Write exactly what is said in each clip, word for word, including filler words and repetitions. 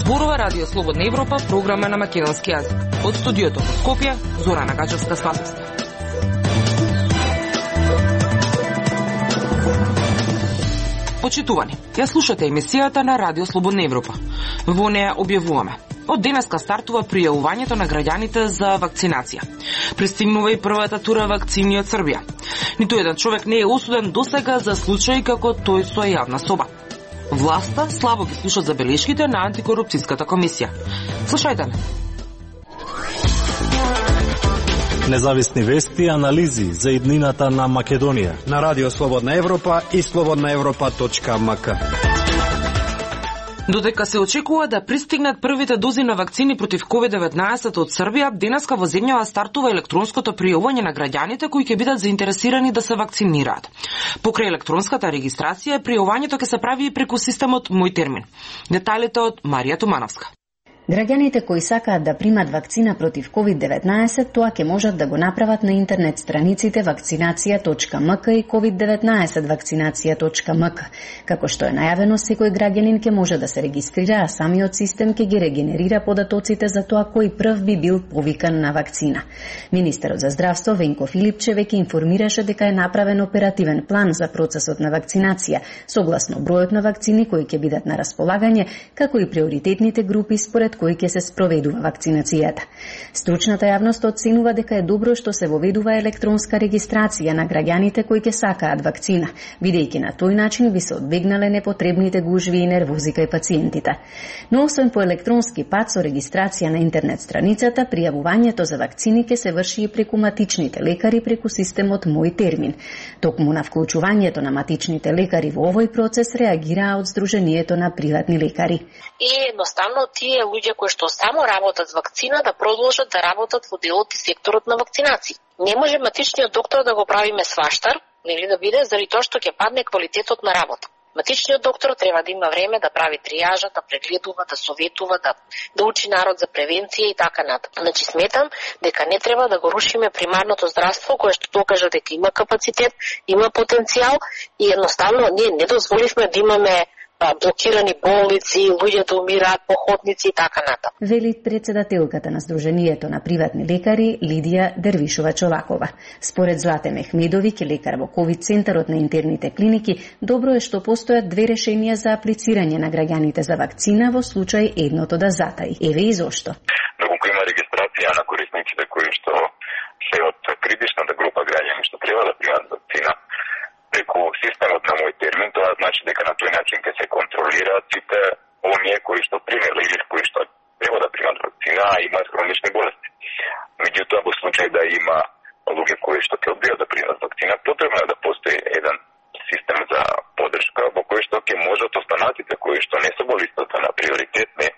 Зборува Радио Слободна Европа, програма на македонски јазик. Од студиото во Скопје, Зорана Гачевска-Спасовска. Почитувани, ја слушате емисијата на Радио Слободна Европа. Во неја објавуваме: од денеска стартува пријавувањето на граѓаните за вакцинација. Пристигнува и првата тура вакцини од Србија. Ниту еден човек не е осуден досега за случаи како тој со јавна соба. Власта слабо ги слуша забелешките на антикорупцијската комисија. Слушајте ме. Независни вести и анализи за иднината на Македонија на Радио Слободна Европа и слободна европа точка ем ка. Додека се очекува да пристигнат првите дози на вакцини против ковид деветнаесет од Србија, денеска во земјава стартува електронското пријавување на граѓаните кои ќе бидат заинтересирани да се вакцинираат. Покрај електронската регистрација, пријавувањето ќе се прави и преку системот Мој термин. Деталите од Марија Тумановска. Граѓаните кои сакаат да примат вакцина против ковид деветнаесет, тоа ќе можат да го направат на интернет страниците вакцинација точка ем ка и ковид деветнаесет вакцинација точка ем ка. Како што е најавено, секој граѓанин ќе може да се регистрира, а самиот систем ќе ги регенерира податоците за тоа кој прв би бил повикан на вакцина. Министерот за здравство Венко Филипче веќе информираше дека е направен оперативен план за процесот на вакцинација, согласно бројот на вакцини кои ќе бидат на располагање, како и приоритетните групи според кои ќе се спроведува вакцинацијата. Стручната јавност оценува дека е добро што се воведува електронска регистрација на граѓаните кои ќе сакаат вакцина, бидејќи на тој начин би се одбегнале непотребните гужви и нервози кај пациентите. Но освен по електронски пат со регистрација на интернет страницата, пријавувањето за вакцини ќе се врши и преку матичните лекари преку системот Мој термин. Токму на вклучувањето на матичните лекари во овој процес реагираа од Сдруженијето на приватни лекари. И едноставно тие луѓе кои што само работат с вакцина да продолжат да работат во делот и секторот на вакцинација. Не може матичниот доктор да го правиме сваштар, нели да биде, заради тоа што ќе падне квалитетот на работа. Матичниот доктор треба да има време да прави тријажа, да прегледува, да советува, да, да учи народ за превенција и така натаму. Значи сметам дека не треба да го рушиме примарното здравство кое што докажа дека има капацитет, има потенцијал и едноставно ние не дозволивме да имаме блокирани болници, луѓе да умираат по ходници и така натаму. Вели председателката на Сдруженијето на приватни лекари Лидија Дервишова-Чолакова. Според Злате Мехмедовиќ, лекар во ковид центарот на интерните клиники, добро е што постојат две решенија за аплицирање на граѓаните за вакцина во случај едното да затаи. Еве и зошто. Доколку има регистрација на корисниците кои што се од критичната група граѓани што треба да примат вакцина, преку системот на Мој термин, тоа значи дека на тој начин ќе се контролираат сите оние кои што примеле или кои што треба да примат вакцина, а имаат хронични болести. Меѓутоа, во случај да има луѓе кои што ќе одбијат да примат вакцина, потребно е да постои еден систем за поддршка во кој што ќе можат останатите кои што не се во листата на приоритетни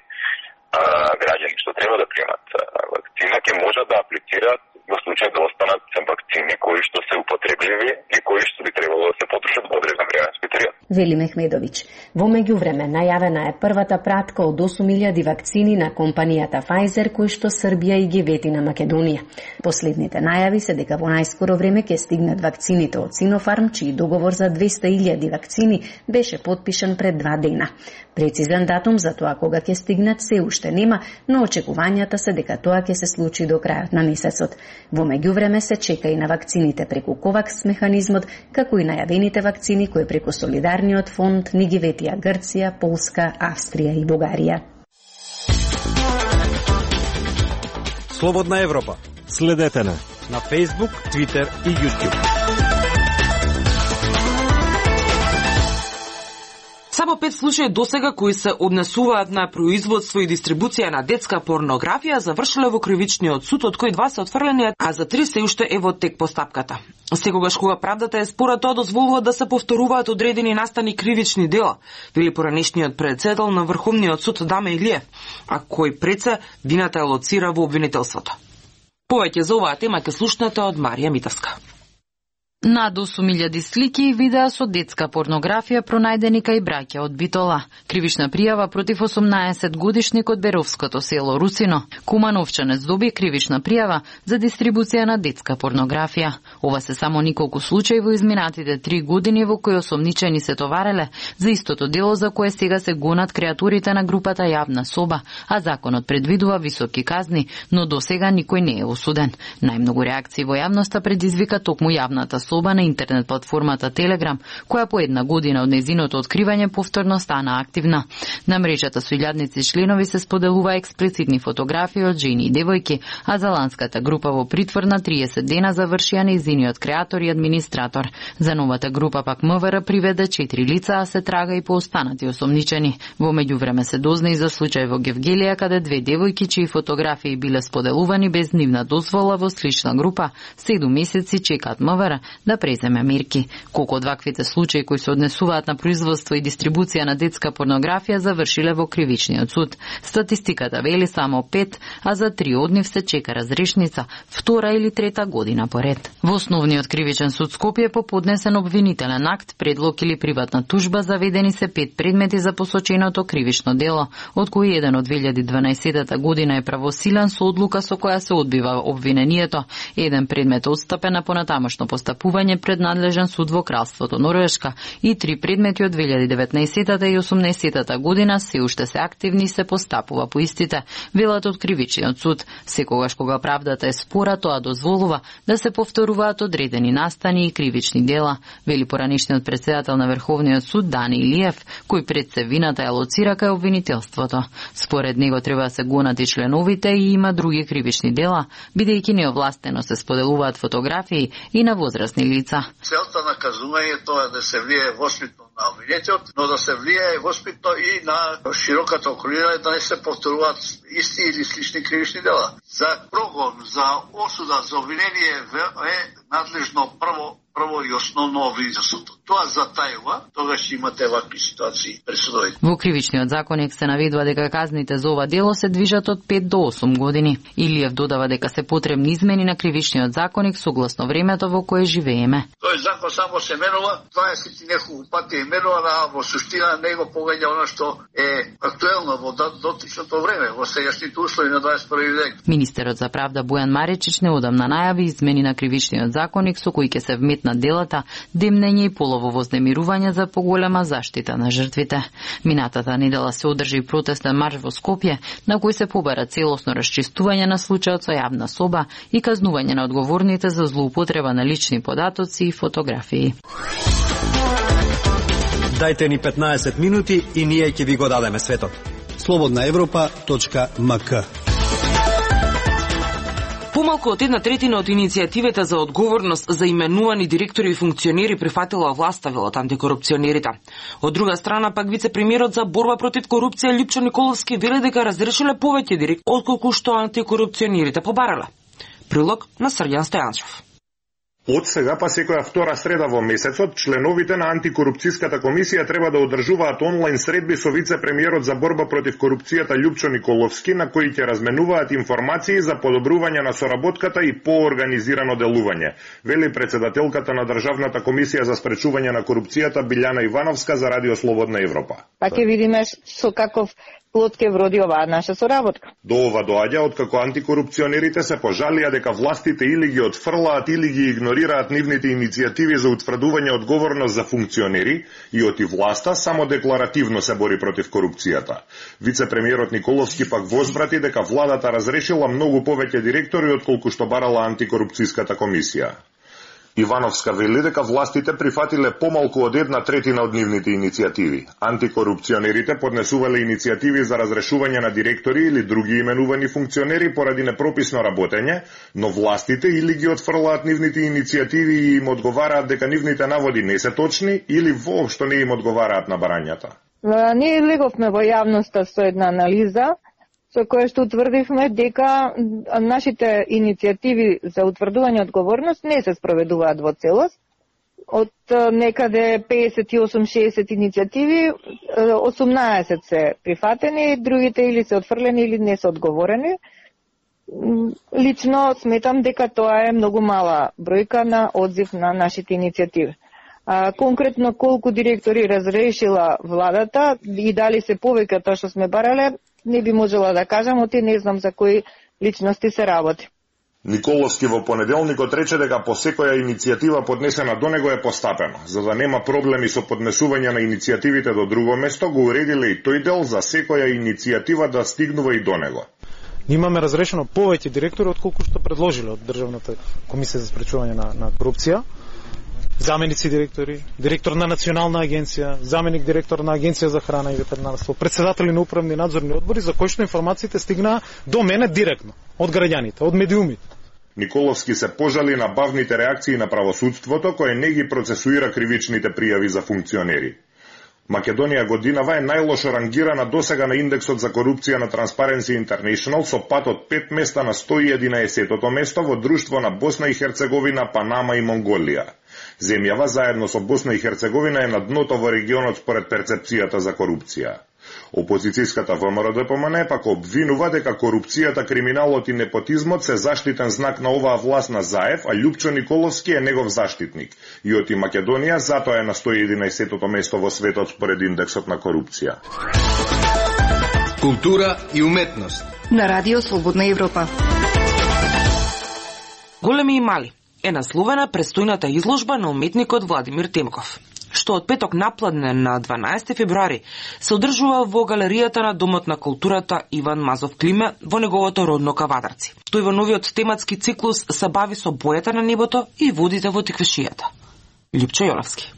а, граѓани што треба да примат вакцина, ќе можат да аплицираат во случај да останат вакцини кои што се употребливи и кои што би требало да се потрошат во одреден временски период. Вели Мехмедовиќ. Во меѓувреме најавена е првата пратка од осум илјади вакцини на компанијата Pfizer кои што Србија и ги вети на Македонија. Последните најави се дека во најскоро време ќе стигнат вакцините од Синофарм, чиј договор за двеста илјади вакцини беше потпишан пред два дена. Прецизен датум за тоа кога ќе стигнат се уште нема, но очекувањата се дека тоа ќе се случи до крајот на месецот. Во меѓувреме се чека и на вакцините преку ковакс механизмот, како и најавените вакцини кои преку Солидарниот фонд ни ги ветија Грција, Полска, Австрија и Бугарија. Слободна Европа. Следете на на Facebook, Twitter и YouTube. Само пет случаи досега кои се однесуваат на производство и дистрибуција на детска порнографија завршиле во кривичниот суд, од кои два се отфрлени, а за три се уште е во тек постапката. Секогаш кога правдата е спора, тоа дозволува да се повторуваат одредени настани кривични дела, вели поранешниот председател на Врховниот суд Даме Илиев, а кој преце вината е лоцира во обвинителството. Повеќе за оваа тема ќе слушнете од Марија Митевска. Над осум илјади слики и видеа со детска порнографија пронајдени кај браќа од Битола. Кривична пријава против осумнаесет годишник од Беровското село Русино. Кума Новчанец доби кривична пријава за дистрибуција на детска порнографија. Ова се само неколку случаи во изминатите три години во кои осомничени се товареле за истото дело за кое сега се гонат креатурите на групата Јавна соба, а законот предвидува високи казни, но до сега никој не е осуден. Најмногу реакции во јавноста предизвика токму Јавната соба на интернет платформата Телеграм, која по една година од нејзиното откривање повторно стана активна. На мрежата со илјадници членови се споделува експлицитни фотографии од жени и девојки, а заланската група во притвор на триесет дена завршија нејзиниот креатор и администратор. За новата група пак МВР приведе четири лица, а се трага и по останати осомничени. Во меѓувреме се дозна и за случај во Гевгелија, каде две девојки чии фотографии биле споделувани без нивна дозвола во слична група, седум месеци чекаат МВР да преземе мерки. Колку од ваквите случаи кои се однесуваат на производство и дистрибуција на детска порнографија завршиле во кривичниот суд. Статистиката вели само пет, а за три од нив се чека разрешница, втора или трета година поред. Во Основниот кривичен суд Скопје по поднесен обвинителен акт, предлог или приватна тужба заведени се пет предмети за посоченото кривично дело, од кои еден од две илјади дванаесетта година е правосилен со одлука со која се одбива обвинението, еден предмет отстапен на понатамошно постапување пред надлежен суд во Кралството Норвешка и три предмети од две илјади деветнаесетта и осумнаесетта година се уште се активни и се постапува по истите, велат од кривичниот суд. Секогаш кога правдата е спора, тоа дозволува да се повторуваат одредени настани и кривични дела, вели поранишниот председател на Верховниот суд Дани Илиев, кој пред се вината ја лоцира кај обвинителството. Според него треба да се гонат и членовите и има други кривични дела, бидејќи неовластено се споделуваат фотографии и на возрастни лица. Целта на кажувањето е да се влие воспитно на обвинетиот, но да се влие воспитно и на широката околина, да не се повторуваат исти или слични кривични дела. За прогон, за осуда, за обвинение е надлежно прво прво и основно обвинителството. Тоа затајува, тогаш имате вакви ситуации пред судовите. Во кривичниот законник се наведува дека казните за ова дело се движат од пет до осум години. Илиев додава дека се потребни измени на кривичниот законник согласно времето во кое живееме. Тој закон само се менува, дваесет и неколку пати е менува, а во суштина него погаѓа она што е актуелно во дотичното време, во сегашните услови на дваесет и први век. Министерот за правда Бојан Маречич неодамна најави измени на кривичниот законник со кои ќе се вметнат делата демнење и полово вознемирување за поголема заштита на жртвите. Минатата недела се одржи протестен марш во Скопје, на кој се побара целосно расчистување на случајот со Јавна соба и казнување на одговорните за злоупотреба на лични податоци и фотографии. Дајте ни петнаесет минути и ние ќе ви го дадеме светот. слободна европа точка ем ка. Помалку од една третина од иницијативите за одговорност за именувани директори и функционери прифатила власта, велат антикорупционерите. Од друга страна, пак вице-премиерот за борба против корупција Лјупчо Николовски вели дека разрешиле повеќе директори отколку што антикорупционерите побарале. Прилог на Срѓан Стојанчев. Од сега па секоја втора среда во месецот, членовите на антикорупцијската комисија треба да одржуваат онлайн средби со вице-премиерот за борба против корупцијата Лјупчо Николовски, на кои ќе разменуваат информации за подобрување на соработката и поорганизирано делување, вели председателката на Државната комисија за спречување на корупцијата Билјана Ивановска за Радио Слободна Европа. Па ќе видиме со каков плод ќе вроди оваа наша соработка. До ова доаѓа откако антикорупционерите се пожалија дека властите или ги отфрлаат или ги игнорираат нивните иницијативи за утврдување одговорност за функционери и оти власта само декларативно се бори против корупцијата. Вице-премиерот Николовски пак возбрати дека владата разрешила многу повеќе директори отколку што барала антикорупцијската комисија. Ивановска вели дека властите прифатиле помалку од една третина од нивните иницијативи. Антикорупционерите поднесувале иницијативи за разрешување на директори или други именувани функционери поради непрописно работење, но властите или ги отфрлаат нивните иницијативи и им одговараат дека нивните наводи не се точни или воопшто не им одговараат на барањата. Ние леговме во јавноста со една анализа со која што утврдивме дека нашите иницијативи за утврдување одговорност не се спроведуваат во целост. Од некаде педесет и осум шеесет иницијативи, осумнаесет се прифатени, другите или се отфрлени или не се одговорени. лично сметам дека тоа е многу мала бројка на одзив на нашите иницијативи. А, конкретно колку директори разрешила владата и дали се повеќе тоа што сме барале, не би можела да кажам, оти не знам за кои личности се работи. Николовски во понеделникот рече дека по секоја иницијатива поднесена до него е постапено. За да нема проблеми со поднесување на иницијативите до друго место, го уредиле и тој дел за секоја иницијатива да стигнува и до него. Имаме разрешено повеќе директори отколку што предложиле од Државната комисија за спречување на, на корупција. Заменици директори, директор на Национална агенција, заменик директор на Агенција за храна и ветеринарство, председатели на управни и надзорни одбори, за кои што информациите стигнаа до мене директно, од граѓаните, од медиумите. Николовски се пожали на бавните реакции на правосудството, кое не ги процесуира кривичните пријави за функционери. Македонија годинава е најлошо рангирана досега на индексот за корупција на Transparency International со пат од пет места на сто и единаесетото место во друштво на Босна и Херцеговина, Панама и Монголија. Земјава заедно со Босна и Херцеговина е на дното во регионот според перцепцијата за корупција. Опозицијската ВМРО-ДПМН пак обвинува дека корупцијата, криминалот и непотизмот се заштитен знак на оваа власт на Заев, а Љупчо Николовски е негов заштитник. И оти Македонија затоа е на сто и единаесетото место во светот според индексот на корупција. Култура и уметност на Радио Слободна Европа. Големи и мали е насловена престојната изложба на уметникот Владимир Темков, што од петок напладне на дванаесети февруари се одржува во галеријата на Домот на културата Иван Мазов Климе во неговото родно Кавадарци. Тој во новиот тематски циклус се бави со бојата на небото и водите во теквешијата. Љупчо Јоловски.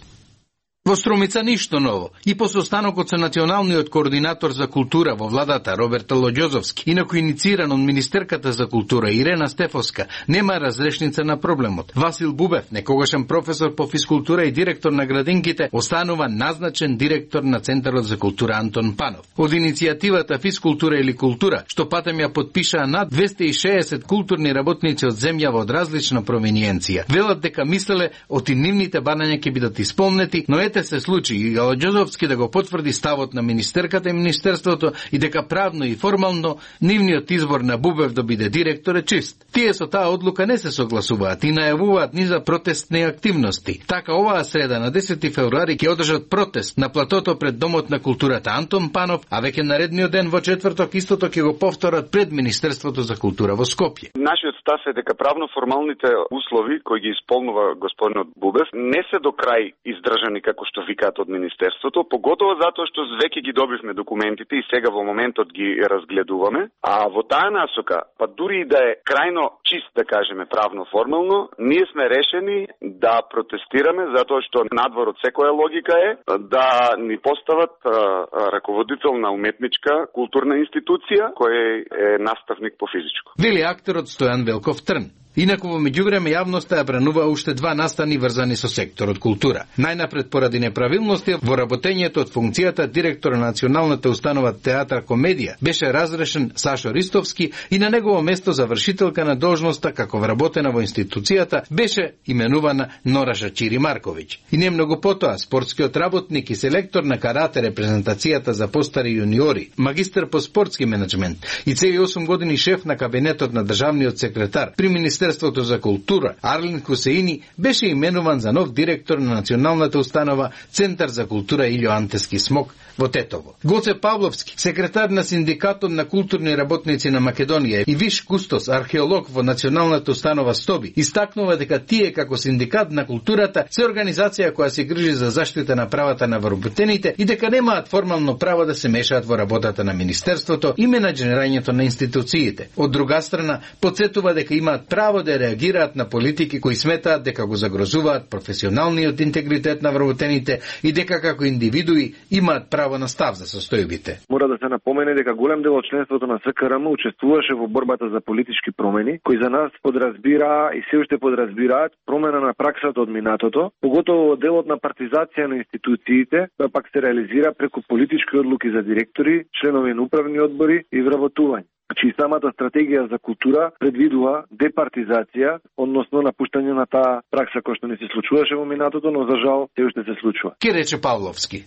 Во Струмица ништо ново. И по состанокот со националниот координатор за култура во владата Роберт Лоѓозовски, инаку иницииран од министерката за култура Ирена Стефовска, нема разрешница на проблемот. Васил Бубев, некогашен професор по физкултура и директор на градинките, останува назначен директор на Центарот за култура Антон Панов. Од иницијативата Физкултура или култура, што патем ја подпишаа над двесте и шеесет културни работници од земјава од различна провиниенција, велат дека мислеле оти нивните барања ќе бидат исполнети, но ете се случи и Лоѓозовски да го потврди ставот на министерката и министерството и дека правно и формално нивниот избор на Бубев да биде директор е чист. Тие со таа одлука не се согласуваат и најавуваат низа протестни активности. Така оваа среда на десети февруари ќе одржат протест на платото пред Домот на културата Антон Панов, а веќе наредниот ден во четврток истото ќе го повторат пред Министерството за култура во Скопје. Нашиот став е дека правно формалните услови кои ги исполнува господинот Бубев не се до крај издржани како што викаат од Министерството, поготово затоа што веќе ги добивме документите и сега во моментот ги разгледуваме, а во таа насока, па дури и да е крајно чист, да кажеме правно формално, ние сме решени да протестираме затоа што надвор од секоја логика е да ни постават а, а, раководител на уметничка културна институција кој е наставник по физичко. Вели актерот Стојан Велков Трн. Инаку во меѓувреме јавноста ја бранува уште два настани врзани со секторот култура. Најнапред поради неправилности во работењето од функцијата директор на Националната установа Театар Комедија беше разрешен Сашо Ристовски и на негово место завршителка на должноста како вработена во институцијата беше именувана Нораша Чири Марковиќ. И не многу потоа спортскиот работник и селектор на карате репрезентацијата за постари јуниори, магистар по спортски менеджмент и цели осум години шеф на кабинетот на државниот секретар при Министерството за култура Арлин Хусеини беше именуван за нов директор на Националната установа Центар за култура Илјо Антески Смок во Тетово. Гоце Павловски, секретар на Синдикатот на културни работници на Македонија и виш кустос археолог во Националната установа Стоби, истакнува дека тие како Синдикат на културата се организација која се грижи за заштита на правата на вработените и дека немаат формално право да се мешаат во работата на Министерството и менаџирањето на институциите. Од друга страна, потсетува дека имаат право да реагираат на политики кои сметаат дека го загрозуваат професионалниот интегритет на вработените и дека како индивидуи имаат право на став за состојбите. Мора да се напомене дека голем дел од членството на СКРМ учествуваше во борбата за политички промени, кои за нас подразбира и се уште подразбираат промена на праксата од минатото, поготово делот на партизација на институциите, која пак се реализира преку политички одлуки за директори, членови на управни одбори и вработување. Значи самата стратегија за култура предвидува департизација, односно напуштање на таа пракса која што не се случуваше во минатото, но за жал се уште се случува. Ке рече Павловски.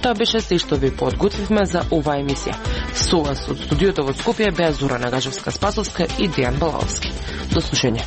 Тоа беше се што ви подготвивме за оваа емисија. Со вас од студиото во Скопје беа Зора Нагажевска-Спасовска и Дејан Балалски. До слушање.